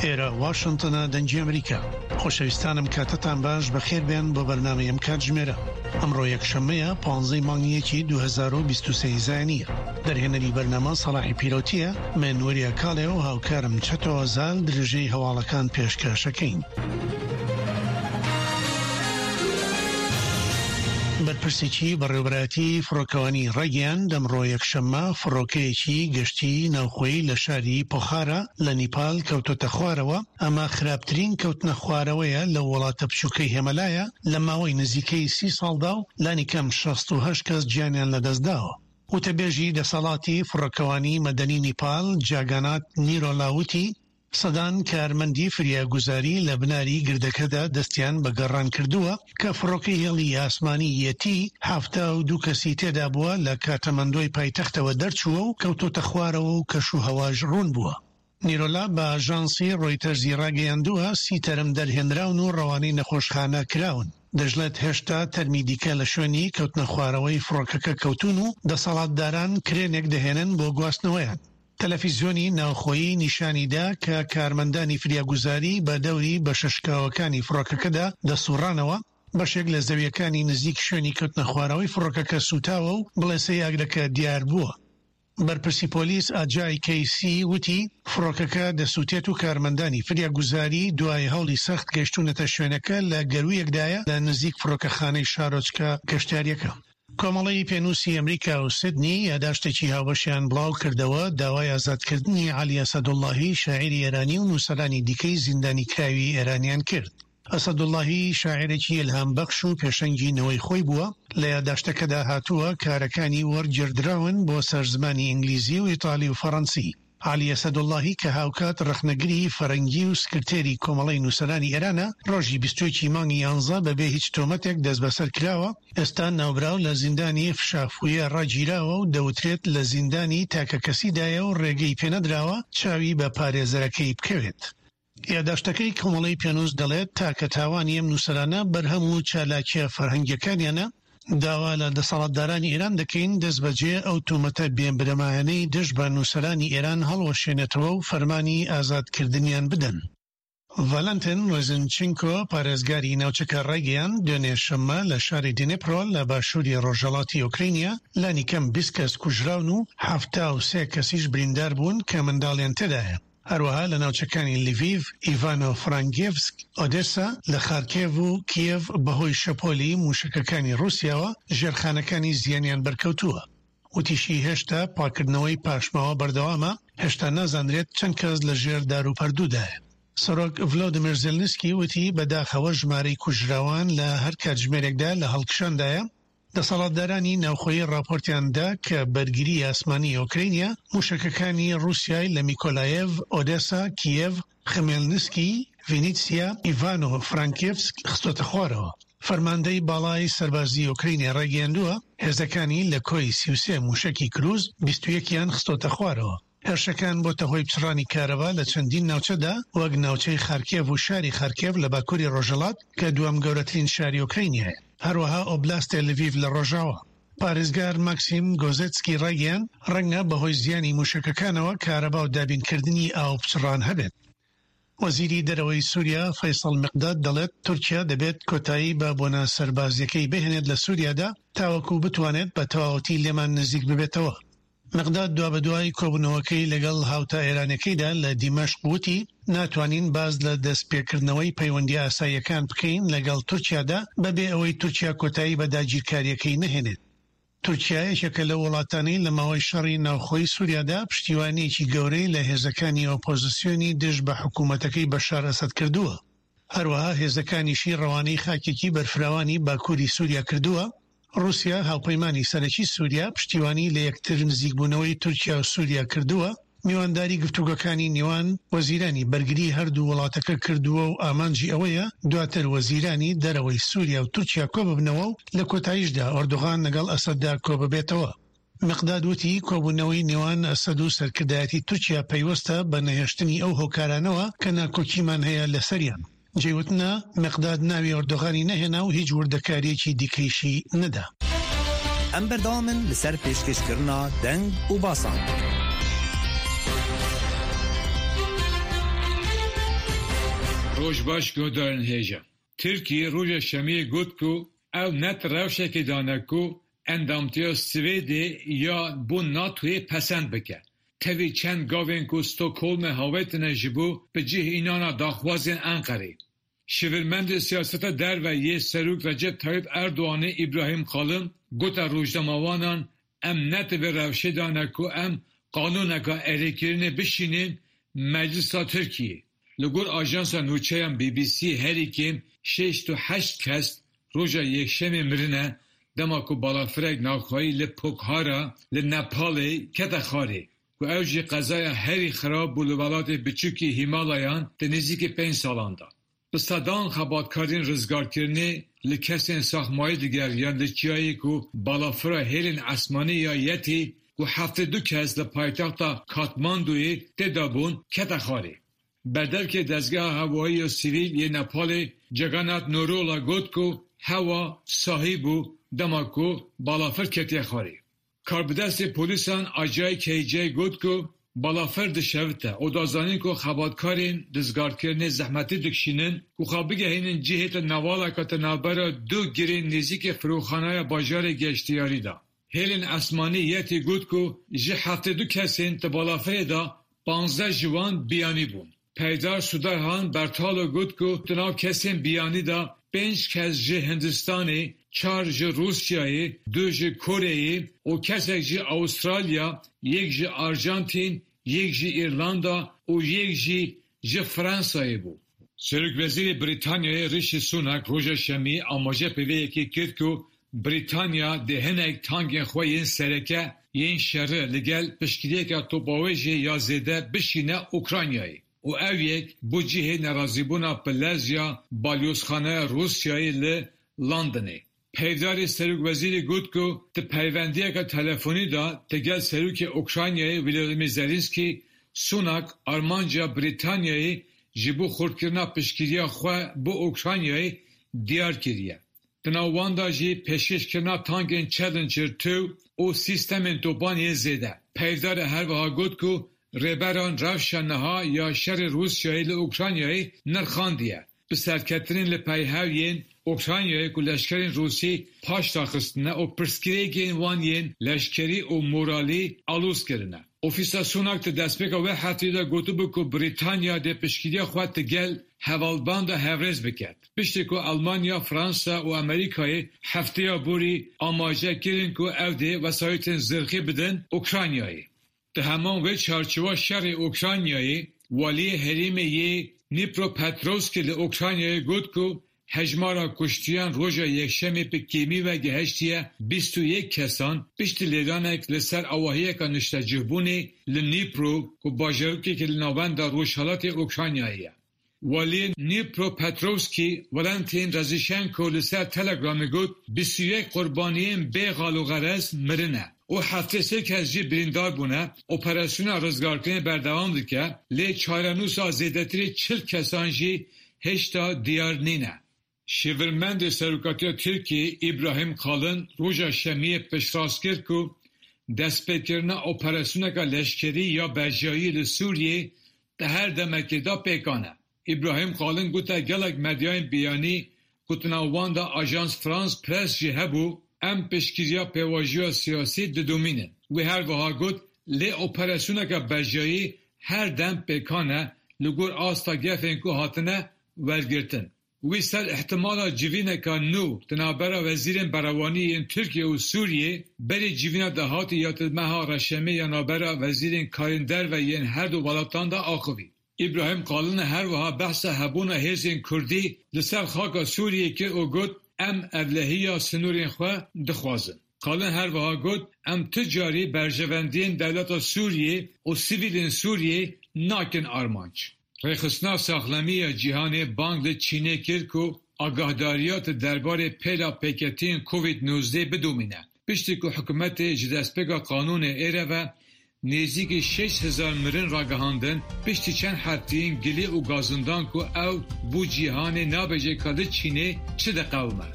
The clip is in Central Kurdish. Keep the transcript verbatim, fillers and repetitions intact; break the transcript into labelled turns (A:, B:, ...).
A: ئێرە واشنتنە، دەنگی ئەمریکا. خۆشەویستانم، کاتتان باش، بەخێر بێن بۆ بەرنامەی ئەم کاتژمێرە. ئەمڕۆ یەکشەممەیە، پانزەی مانگی یەکی دوو هەزار و بیست و سێ زایینیە. دەرهێنەری بەرنامە سەڵاحی پیرۆتیە، من وریا کاڵێ و هاوکارم چەتۆ زال درێژەی هەواڵەکان پێشکەشەکەین. بەرپرسێکی بەڕێوەبەرایەتی فڕۆکەوانی ڕایگەیاند ئەمڕۆ یەکشەممە فڕۆکەیەکی گەشتی ناوخۆیی لە شاری پۆخارا لە نیپال کەوتۆتە خوارەوە. ئەمە خراپترین کەوتنە خوارەوەیە لە وڵاتە بچووکەی هێمەلایە لە ماوەی نزیکەی سی ساڵدا و لانی کەم شەست و هەشت کەس گیانیان لەدەستداوە. وتەبێژی دەسەڵاتی فڕۆکەوانی مەدەنی نیپال جاگانات نیرۆلا وتی سەدان کارمەندی فریاگوزاری لە بناری گردەکەدا دەستیان بە گەڕان کردووە کە فڕۆکەی هێڵی ئاسمانی یەتی حەفتا و دوو کەسی تێدا بووە لە کاتەمەندۆی پایتەختەوە دەرچووە و کەوتۆتە خوارەوە و کەش و هەواش ڕوون بووە. نیرۆلا بە ئاژانسی ڕۆیتەرزی ڕاگەیاندووە سی تەرم دەرهێنراون و ڕەوانەی نەخۆشخانە کراون. دەشڵێت هێشتا تەرمی دیکە لە شوێنی کەوتنە خوارەوەی فڕۆکەکە کەوتون و دەسەڵاتداران کرێنێک دەهێنن بۆ گواستنەوەیان. تەلەفیزیۆنی ناوخۆیی نیشانیدا کە کارمەندانی فریاگوزاری بە دەوری بەشە شکاوەکانی فڕۆکەکەدا دەسوڕانەوە. بەشێک لە زەویەکانی نزیک شوێنی کەوتنە خوارەوەی فڕۆکەکە سوتاوە و بڵێسەی ئاگرەکە دیار بووە. بەرپرسی پۆلیس ئاجای کەیسی وتی فڕۆکەکە دەسووتێت و کارمەندانی فریاگوزاری دوای هەوڵی سەخت گەیشتوونەتە شوێنەکە لە گەروویەکدایە لە نزیک فڕۆکەخانەی شارۆچکە گەشتیاریەکە. کۆمەڵەی پێنووسی ئەمریکا و سیدنی یاداشتێکی هاوبەشیان بڵاو کردەوە داوای ئازادکردنی عەلی ئەسەدوڵڵاهی شاعیری ئێرانی و نووسەرانی دیکەی زیندانی کراوی ئێرانیان کرد. ئەسەدوڵڵاهی شاعیرێکی ئیلهام بەخش و پێشەنگی نەوەی خۆی بووە. لە یاداشتەکەدا هاتووە کارەکانی وەرگێڕدراون بۆ سەر زمانی ئینگلیزی و ئیتالی و فەڕەنسی. عەلی ئەسەدوڵڵاهی کە هاوکات ڕەخنەگری فەرەنگی و سکرتێری کۆمەڵەی نووسەرانی ئێرانە ڕۆژی بیست و یەکی مانگی یانزە بەبێ هیچ تۆمەتێک دەستبەسەر کراوە. ئێستا ناوبراو لە زیندانی فشافویە ڕاگیراوە و دەوترێت لە زیندانی تاکە کەسیدایە و ڕێگەی پێنەدراوە چاوی بە پارێزەرەکەی بکەوێت. یاداشتەکەی کۆمەڵەی پێنووس دەڵێت تاکە تاوانی ئەم نووسەرانە بەرهەم و چالاکیە فەرهەنگیەکانیانە. داوا لە دەسەڵاتدارانی ئێران دەکەین دەست بەجێ ئەو تۆمەتە بێبنەمایانەی دژ بە نووسەرانی ئێران هەڵوەشێنێتەوە و فەرمانی ئازادکردنیان بدەن. ڤالنتین ڕێزنچینکۆ پارێزگاری ناوچەکە ڕایگەیاند دوێنێ شەممە لە شاری دینیپرۆ لە باشووری ڕۆژهەڵاتی ئۆکرینیا لانی کەم بیست کەس کوژراون و حەفتا و سێ کەسیش بریندار بوون کە منداڵیان تێدایە. هەروەها لە ناوچەکانی لیڤیڤ، ئیڤانۆ فرانکێڤسک، ئۆدێسا، لە خارکێڤ و کیێڤ بەهۆی شەپۆلی موشەکەکانی ڕووسیاوە ژێرخانەکانی زیانیان بەرکەوتووە. وتیشی هێشتا پاکردنەوەی پاشماوە بەردەوامە، هێشتا نازانرێت چەند کەس لە ژێر دار و پەردوودایە. سەرۆک ڤلۆدیمیر زێلنسکی وتی بەداخەوە ژمارەی کوژراوان لە هەر کاتژمێرێکدا لە هەڵکشاندایە. دەسەڵاتدارانی ناوخۆیی راپۆرتیاندا کە بەرگری ئاسمانی ئۆکرینیا موشەکەکانی ڕووسیای لە میکۆلایێڤ، ئۆدێسا، کیێڤ، خمێلنسکی، ڤینیتسیا، ئیڤانۆ فرانکێڤسک خستۆتە خوارەوە. فەرماندەی باڵای سەربازی ئۆکرینیا ڕایگەیاندووە هێزەکانی لە کۆی سی و سێ موشەکی کروز بیست و یەکیان خستۆتە خوارەوە. هێرشەکان بۆتە هۆی پچڕانی کارەبا لە چەندین ناوچەدا وەک ناوچەی خارکێڤ و شاری خارکێڤ لە باکووری ڕۆژهەڵات کە دووەم گەورەترین شاری ئۆکرینیایە، هەروەها ئۆبلاستێ لڤیڤ لە ڕۆژاوا. پارێزگار ماکسیم گۆزێتسکی ڕایگەیاند ڕەنگە بەهۆی زیانی موشەکەکانەوە کارەبا و دابینکردنی ئاو پچڕان هەبێت. وەزیری دەرەوەی سووریا فەیسەڵ مقداد دەڵێت تورکیا دەبێت کۆتایی بە بۆنە سەربازیەکەی بهێنێت لە سووریادا تاوەکو بتوانێت بە تەواوەتی لێمان نزیک ببێتەوە. مقداد دوابەدوای کۆبوونەوەکەی لەگەڵ هاوتا ئێرانەکەیدا لە دیمەشق وتی ناتوانین باز لە دەستپێکردنەوەی پەیوەندی ئاساییەکان بکەین لەگەڵ تورکیادا بەبێ ئەوەی تورکیا کۆتایی بە داگیرکاریەکەی نەهێنێت. تورکیا یەکێکە لە وڵاتانەی لە ماوەی شەڕی ناوخۆی سووریادا پشتیوانیەکی گەورەی لە هێزەکانی ئۆپۆزیسیۆنی دژ بە حکوومەتەکەی بەشار ئەسەد کردووە. هەروەها هێزەکانیشی ڕەوانەی خاکێکی بەرفراوانی باکووری سووریا کردووە. ڕووسیا هاوپەیمانی سەرەکی سووریا پشتیوانی لە یەکتر نزیکبوونەوەی تورکیا و سووریا کردووە. میوانداری گفتوگۆکانی نێوان وەزیرانی بەرگری هەردوو وڵاتەکە کردووە و ئامانجی ئەوەیە دواتر وەزیرانی دەرەوەی سووریا و تورکیا کۆببنەوە و لە کۆتاییشدا ئۆردوغان لەگەڵ ئەسەددا کۆببێتەوە. مقداد وتی کۆبوونەوەی نێوان ئەسەد و سەرکردایەتی تورکیا پەیوەستە بە نەهێشتنی ئەو هۆکارانەوە کە ناکۆکیمان هەیە لەسەریان. جێوتنە مقداد ناوی ئۆردوغانی نەهێنا و هیچ وردەکاریەکی دیکەیشی نەدا.
B: ئەم بەردەوامن لەسەر پێشکەشکردنا دەنگ و باسان.
C: Roj baş guhdarên hêja. Tirkiye roja şemiyê got ku ew ne di rewşekê de ne ku endamtiya Swêdê ya bo NATOyê pesend bike. Tevî çend gavên ku Stockholmê havêtine ji bo bi cih înana daxwazên Enqerê. Şêwirmendê siyaseta derve yê Serok Recep Tayyip Erdoğanê İbrahim Kalın gote rojnamevanan em ne di vê rewşê de ne ku em qanûneke erêkirinê bişînin Meclisa Tirkiyê. Li gor ajansa nûçeyan B B C herî kêm şêst û heşt kes roja yekşemê mirine dema ku balafirek navxweyî li Pokhara li Nepalê kete xwarê ku ew jî qezaya herî xirab bû li welatê biçûkê Hîmalayan di nêzîkî pênc salan de. Bi sedan xebatkarên rizgarkirinê li kesên saxmayî digeriyan li çiyayê ku balafira hêlên esmanî ya Yetî ku heftê du kes li paytexta Katmanduyê tê de bûn kete xwarê. Berdevkê Dezgeha Hewayî ya Sivîl yê Nepalê Jagannath Nirola got ku hewa sahî bû dema ku balafir ketiye xwarê. Karbidestê polîsan Ajay K J got ku balafir dişewite û da zanîn ku xebatkarên rizgarkirinê zehmetî dikişînin ku xwe bigihînin cihê di newaleke di navbera du girên nêzîkî firokxaneya bajarê geştyarî de. Hêlên esmanî Yetî got ku ji heftê du kesên di balafirê de panzdeh ji wan biyanî bûn. Peydar Sudarhan Bertalo got ku di nav kesên biyanî de pênc kes ji Hindistanê, çar ji Rûsyayê, du ji Koreyê û kesek ji Awistralya, yek ji Arjantîn, yek ji Îrlanda û yek jî ji Fransayê bû. Serokwezîrê Brîtanyayê Rishi Sunak roja şemiyê amaje bi vê yekê kir ku Brîtanya dê hinek tankên xwe yên sereke yên şerê li gel piştgiriyeke topavêjê ya zêde bişîne Ukraynayê û ev yek bû cihê nerazîbûna bilez ya balyozxaneya Rûsyayê li Londonê. Peyvdarê Serokwezîrê got ku di peywendiyeke telefonî de digel Serokê Ukraynayê Volodymyr Zelenskiy Sunak armanca Brîtanyayê ji bo xurtkirina piştgiriya xwe bo Ukraynayê diyar kiriye. Di nav wan de jî pêşkêşkirina tankên Challenger du û sîstemên topan yên zêde. Peyvdarê her wiha got ku rêberan rewşa niha ya şerê Rûsyayê li Ukraynayê nirxandiye. Bi serketinên li peyhev yên Ukraynayê ku leşkerên Rûsî paş daxistine û pirsgirêkên wan yên leşkerî û moralî aloz kirine. Ofîsa Sunak di destpêka wê hefteyê de gotibû ku Brîtanya dê piştgiriya xwe digel hevalbenda hevrêz bike. Piştî ku Almanya, Fransa û Amerîkayê hefteya borî amaje kirin ku ew dê wesayîtên zirxî bidin Ukraynayê. Di heman wê çarçova şerê Ukraynayê waliyê herêmê yê Dnipropetrovskê li Ukraynayê got ku hejmara kuştiyan roja yekşemê bi kêmî ve gihiştiye bîst û yek kesan piştî lêdanek li ser avahiyeke niştecihbûnê li Dnipro ku bajarokekî li navenda rojhilatê Ukraynayê ye. Waliyê Dnipropetrovskî Valentin Reznichenko li ser Telegramê got bîst û yek qurbaniyên bê xal û xerez mirine û heftê sê kes jî birîndar bûne, operasyona rizgarkirinê berdewam dike lê çarenûsa zêdetirî çil kesan jî hêjta diyar nîne. Şêwirmendê Serokatiya Tirkiyê İbrahim Kalın roja şemiyê piştrast kir ku destpêkirina operasyoneke leşkerî ya bejayî li Sûriyê di her demekê de pêkan e. İbrahim Kalın gote gelek medyayên biyanî ku di nav wan de Ajans France Press jî hebû em piştgiriya pêvajoya siyasî didomînin. Wî her wiha got lê operasyoneke bejayî her dem pêkan e li gor asta gefên ku hatine wergirtin. Wî ser îhtimala civîneke nû di navbera wezîrên berevanî yên Tirkiye û Sûriyê berî civîna dahatî ya di meha reşemê ya navbera wezîrên karên derve yên her du welatan de axivî. İbrahim Kalın her wiha behsa hebûna hêzên Kurdî li ser xaka Sûriyê kir û got em ewlehiya sînorên xwe dixwazin. Kalın her wiha got em ti carî berjewendiyên dewleta Sûriyê û sivîlên Sûriyê nakin armanc. Rêxistina Saxlemiya Cîhanê bang li Çînê kir ku agahdariya di derbarê pêla pêketiyên Covid nozdeh bidomîne. Piştî ku hikûmetê ji destpêka qanûnê êre ve nêzîkî şeş hezar mirin ragihandin, piştî çend hefteyên gilî û gazindan ku ew bo cîhanê nabêje ka li Çînê çi diqewime.